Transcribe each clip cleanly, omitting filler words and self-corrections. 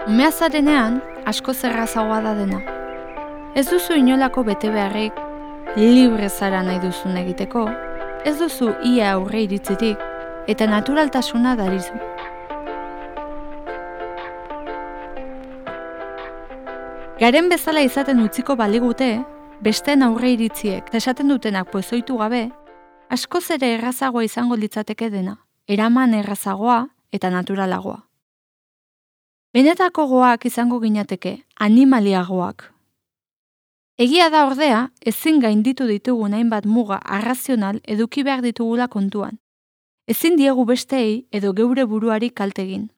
Umea zarenean, asko zerrazagoa da dena. Ez duzu inolako bete beharrik, libre zara nahi duzun egiteko, ez duzu ia aurre iritzirik, eta naturaltasuna darizu. Garen bezala izaten utziko baligute, besteen aurre iritziek esaten dutenak pozoitu gabe, askoz ere errazagoa izango litzateke dena, eraman errazagoa eta naturalagoa. Benetako goak izango ginateke, animaliagoak. Egia da ordea, ezin gainditu ditugun hainbat muga arrazional eduki behar ditugula kontuan. Ezin diegu besteei edo geure buruari kaltegin.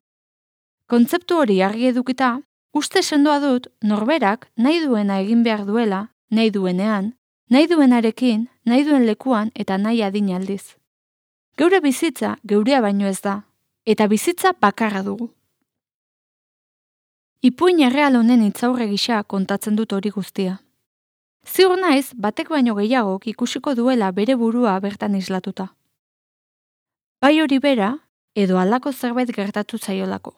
Kontzeptu hori argi edukita, uste sendoa dut norberak nahi duena egin behar duela, nahi duenean, nahi duenarekin, nahi duen lekuan eta nahi adin aldiz. Geure bizitza geurea baino ez da, eta bizitza bakarra dugu. Ipuin erreal honen itzaurre gisa kontatzen dut hori guztia. Ziur naiz, batek baino gehiagok ikusiko duela bere burua bertan islatuta. Bai hori bera, edo halako zerbait gertatu zaiolako.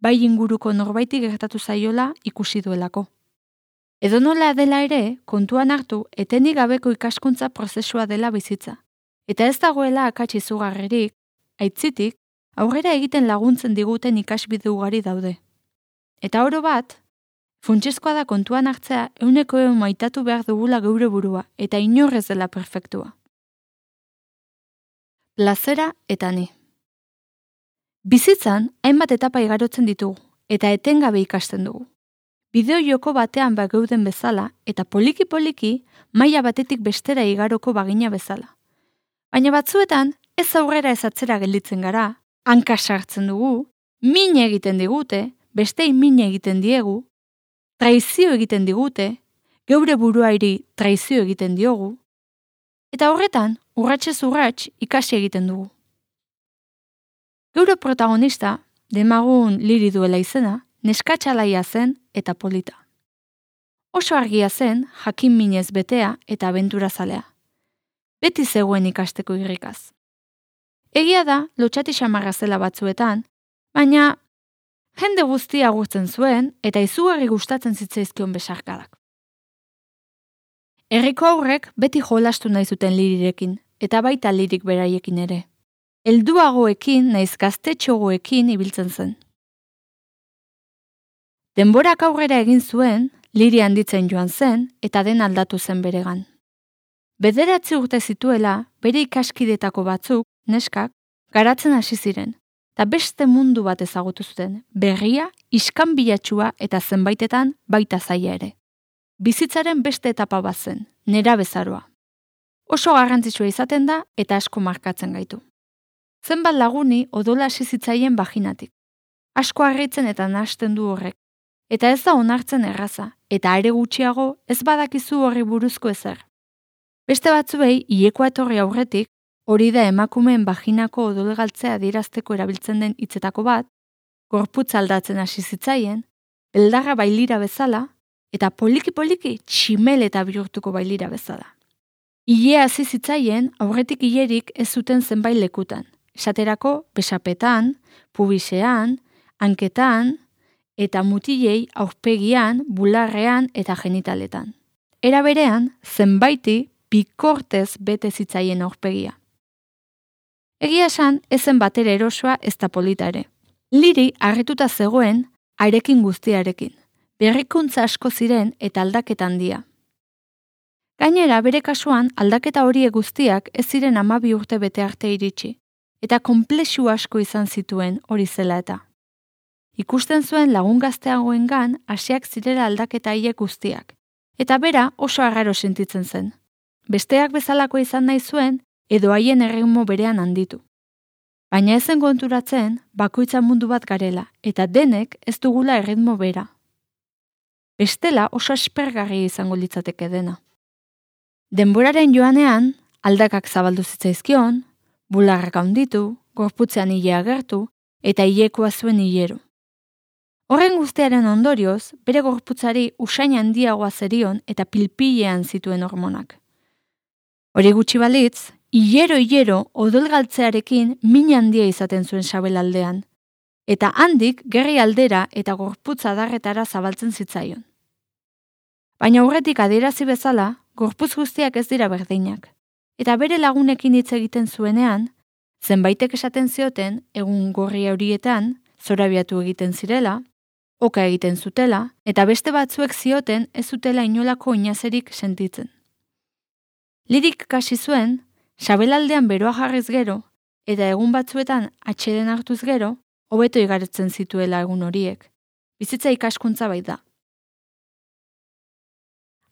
Bai inguruko norbaiti gertatu zaiola ikusi duelako. Edo nola dela ere, kontuan hartu etenik gabeko ikaskuntza prozesua dela bizitza. Eta ez dagoela akats izugarririk, aitzitik, aurrera egiten laguntzen diguten ikasbide ugari daude. Eta oro bat, funtsezkoa da kontuan hartzea 100% maitatu behar dugula geure burua, eta inorrez dela perfektua. Plazera eta ni. Bizitzan, hainbat etapa igarotzen ditugu, eta etengabe ikasten dugu. Bideo joko batean bageuden bezala, eta poliki-poliki, maila batetik bestera igaroko bagina bezala. Baina batzuetan, ez aurrera ez atzera gelditzen gara, hanka sartzen dugu, min egiten digute, bestei min egiten diegu, traizio egiten digute, geure buruairi traizio egiten diogu, eta horretan, urratsez urrats ikasi egiten dugu. Geure protagonista, demagun Liri duela izena, neskatxalaia zen eta polita. Oso argia zen, jakin minez betea eta abenturazalea. Beti zegoen ikasteko irrikaz. Egia da, lotxati xamarra zela batzuetan, baina jende guztia agurtzen zuen eta izugarri gustatzen zitzaizkion besarkadak. Herriko aurrek beti jolastu nahi zuten Lirirekin, eta baita Lirik beraiekin ere. Helduagoekin naiz gaztetxogoekin ibiltzen zen. Denborak aurrera egin zuen, Liri handitzen joan zen eta den aldatu zen beregan. 9 urte zituela, bere ikaskidetako batzuk, neskak, garatzen hasi ziren, eta beste mundu bat ezagutu zuten, berria, iskanbilatsua eta zenbaitetan baita zaila ere. Bizitzaren beste etapa bat zen, nerabezaroa. Oso garrantzitsua izaten da eta asko markatzen gaitu. Zenbat laguni odola hasi zitzaien baginatik. Asko harritzen eta nahasten du horrek. Eta ez da onartzen erraza, eta are gutxiago ez badakizu horri buruzko ezer. Beste batzuei, hilekoa etorri aurretik, hori da emakumeen baginako odolgaltzea adierazteko erabiltzen den hitzetako bat, gorputz aldatzen hasi zitzaien, beldarra bailira bezala, eta poliki-poliki tximel eta bihurtuko bailira bezala. Hilea hasi zitzaien, aurretik hilerik ez zuten zenbait lekutan. Esaterako, besapetan, pubisean, hanketan, eta mutilei aurpegian, bularrean eta genitaletan. Era berean, zenbaiti pikortez bete zitzaien aurpegia. Egia esan, ezen batera erosoa ez da polita ere. Liri harrituta zegoen, harekin guztiarekin. Berrikuntza asko ziren eta aldaketa handia. Gainera, bere kasuan, aldaketa horiek guztiak ez ziren 12 urte bete arte iritsi, eta konplexu asko izan zituen hori zela eta. Ikusten zuen lagun gazteagoengan hasiak zirela aldaketa haiek guztiak, eta bera oso arraro sentitzen zen. Besteak bezalako izan nahi zuen, edo haien erritmo berean handitu. Baina ezen konturatzen, bakoitza mundu bat garela, eta denek ez dugula erritmo bera. Bestela oso aspergarri izango litzateke dena. Denboraren joanean, aldakak zabaldu zitzaizkion, bularrak handitu, gorputzean hile agertu, eta hilekoa zuen hilero. Horren guztiaren ondorioz, bere gorputzari usain handiagoa zerion eta pilpilean zituen hormonak. Hori gutxi balitz, hilero odolgaltzearekin min handia izaten zuen sabelaldean, eta handik gerri aldera eta gorputz adarretara zabaltzen zitzaion. Baina aurretik adierazi bezala, gorputz guztiak ez dira berdinak, eta bere lagunekin hitz egiten zuenean, zenbaitek esaten zioten egun gorri horietan zorabiatu egiten zirela, oka egiten zutela, eta beste batzuek zioten ez zutela inolako oinazerik sentitzen. Lirik kasi zuen, sabelaldean beroa jarriz gero, eta egun batzuetan atxeden hartuz gero, hobeto igaretzen zituela egun horiek. Bizitza ikaskuntza baita.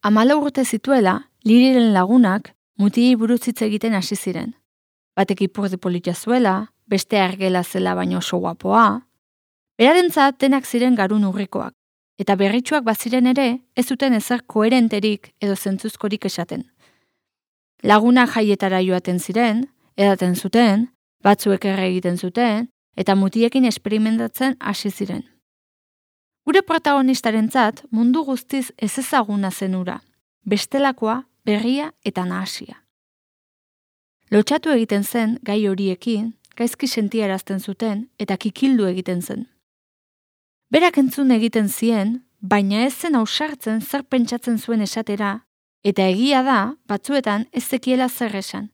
14 urte zituela, Liriren lagunak mutilei buruz hitz egiten hasi ziren. Batek ipurdi polita zuela, beste argela zela baino oso guapoa. Berarentzat denak ziren garun urrikoak, eta berritsuak baziren ere ez zuten ezer koherenterik edo zentzuzkorik esaten. Lagunak jaietara joaten ziren, edaten zuten, batzuek erre egiten zuten, eta mutiekin esperimentatzen hasi ziren. Gure protagonistarentzat mundu guztiz ezezaguna zen hura, bestelakoa, berria eta nahasia. Lotxatu egiten zen gai horiekin, gaizki sentiarazten zuten eta kikildu egiten zen. Berak entzun egiten zien, baina ez zen ausartzen zer pentsatzen zuen esatera, eta egia da, batzuetan ez zekiela zer esan,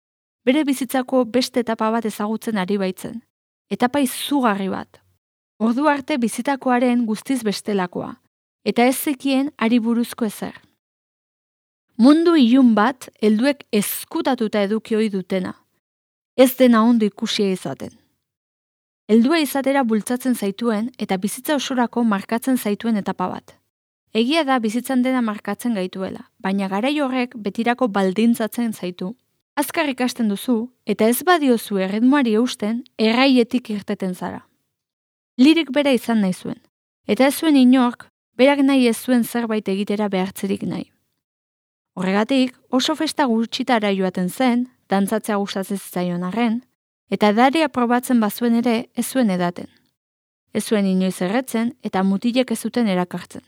bere bizitzako beste etapa bat ezagutzen ari baitzen, etapa izugarri bat. Ordu arte bizitakoaren guztiz bestelakoa, eta ez zekien ari buruzko ezer. Mundu ilun bat helduek ezkutatuta eduki ohi dutena, ez dena ondo ikusia izaten. Heldua izatera bultzatzen zaituen eta bizitza osorako markatzen zaituen etapa bat. Egia da bizitzan dena markatzen gaituela, baina garai horrek betirako baldintzatzen zaitu. Azkar ikasten duzu eta ez badiozu erritmoari eusten erraietik irteten zara. Lirik bera izan nahi zuen, eta ez zuen inork berak nahi ez zuen zerbait egitera behartzerik nahi. Horregatik oso festa gutxitara joaten zen, dantzatzea gustatzen zitzaion arren, eta edarea probatzen bazuen ere ez zuen edaten. Ez zuen inoiz erretzen eta mutilek ez zuten erakartzen.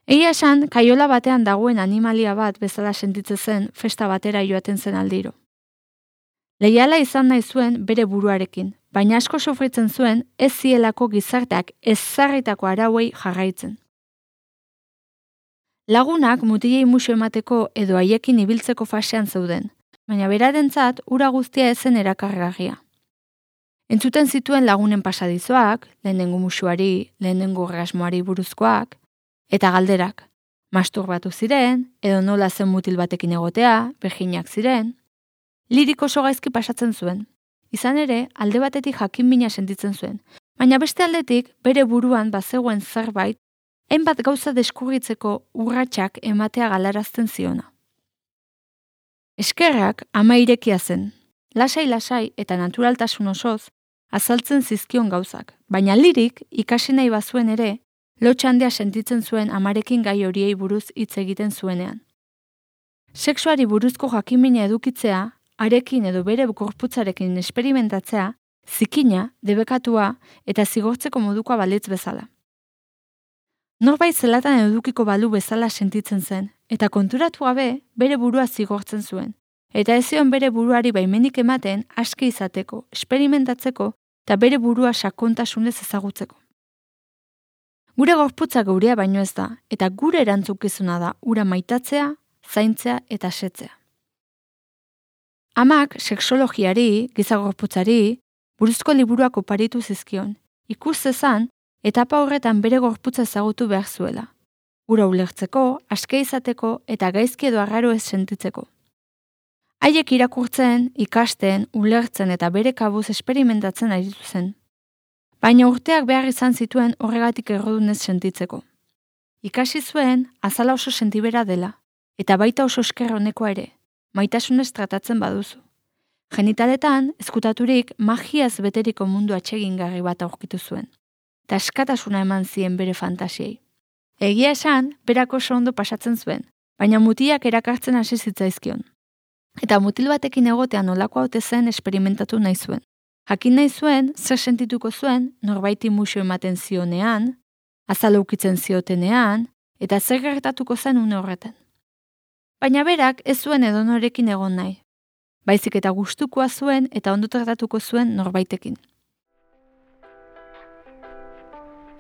Egia esan, kaiola batean dagoen animalia bat bezala sentitzen zen festa batera joaten zen aldiro. Leiala izan nahi zuen bere buruarekin, baina asko sofritzen zuen ez zielako gizarteak ezarritako arauei jarraitzen. Lagunak mutilei musu emateko edo haiekin ibiltzeko fasean zeuden, baina berarentzat ura guztia ezen erakargarria. Entzuten zituen lagunen pasadizoak, lehenengo musuari, lehenengo orgasmoari buruzkoak, eta galderak, masturbatu ziren, edo nola zen mutil batekin egotea, beginak ziren. Lirik oso gaizki pasatzen zuen. Izan ere, alde batetik jakinmina sentitzen zuen, baina beste aldetik bere buruan bazegoen zerbait, hainbat gauza deskurritzeko urratsak ematea galarazten ziona. Eskerrak ama irekia zen, lasai-lasai eta naturaltasun osoz azaltzen zizkion gauzak, baina Lirik ikasi nahi bazuen ere, lotxa handia sentitzen zuen amarekin gai horiei buruz hitz egiten zuenean. Sexuari buruzko jakimina edukitzea, arekin edo bere gorputzarekin esperimentatzea, zikina, debekatua eta zigortzeko modukoa balitz bezala. Norbait zelatan edukiko balu bezala sentitzen zen, eta konturatu gabe bere burua zigortzen zuen, eta ez zion bere buruari baimenik ematen aske izateko, esperimentatzeko eta bere burua sakontasunez ezagutzeko. Gure gorputza geurea baino ez da, eta gure erantzukizuna da ura maitatzea, zaintzea eta setzea. Amak sexologiari, giza gorputzari, buruzko liburuak oparitu zizkion, ikus zezan, etapa horretan bere gorputza ezagutu behar zuela. Ura ulertzeko, aske izateko eta gaizki edo arraro ez sentitzeko. Haiek irakurtzen, ikasten, ulertzen eta bere kabuz esperimentatzen aritu zen. Baina urteak behar izan zituen horregatik errodunez sentitzeko. Ikasi zuen, azala oso sentibera dela, eta baita oso esker honekoa ere, maitasunez tratatzen baduzu. Genitaletan, ezkutaturik magiaz beteriko mundu atsegingarri bat aurkitu zuen, eta askatasuna eman zien bere fantasiei. Egia esan, berak oso ondo pasatzen zuen, baina mutilak erakartzen hasi zitzaizkion. Eta mutil batekin egotean nolako haute zen esperimentatu nahi zuen. Jakin nahi zuen, zer sentituko zuen, norbaiti musu ematen zionean, azala ukitzen ziotenean, eta zer gertatuko zen une horretan. Baina berak ez zuen edonorekin egon nahi. Baizik eta gustukoa zuen eta ondo tratatuko zuen norbaitekin.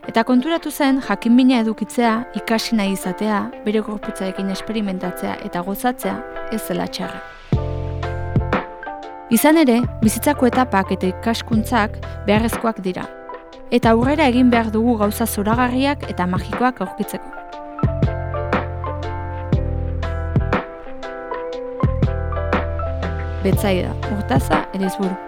Eta konturatu zen jakinmina edukitzea, ikasi nahi izatea, bere gorputzarekin esperimentatzea eta gozatzea ez zela txarra. Izan ere, bizitzako etapak eta ikaskuntzak beharrezkoak dira. Eta aurrera egin behar dugu gauza zoragarriak eta magikoak aurkitzeko. Betsaida, Urtaza, Erizburu.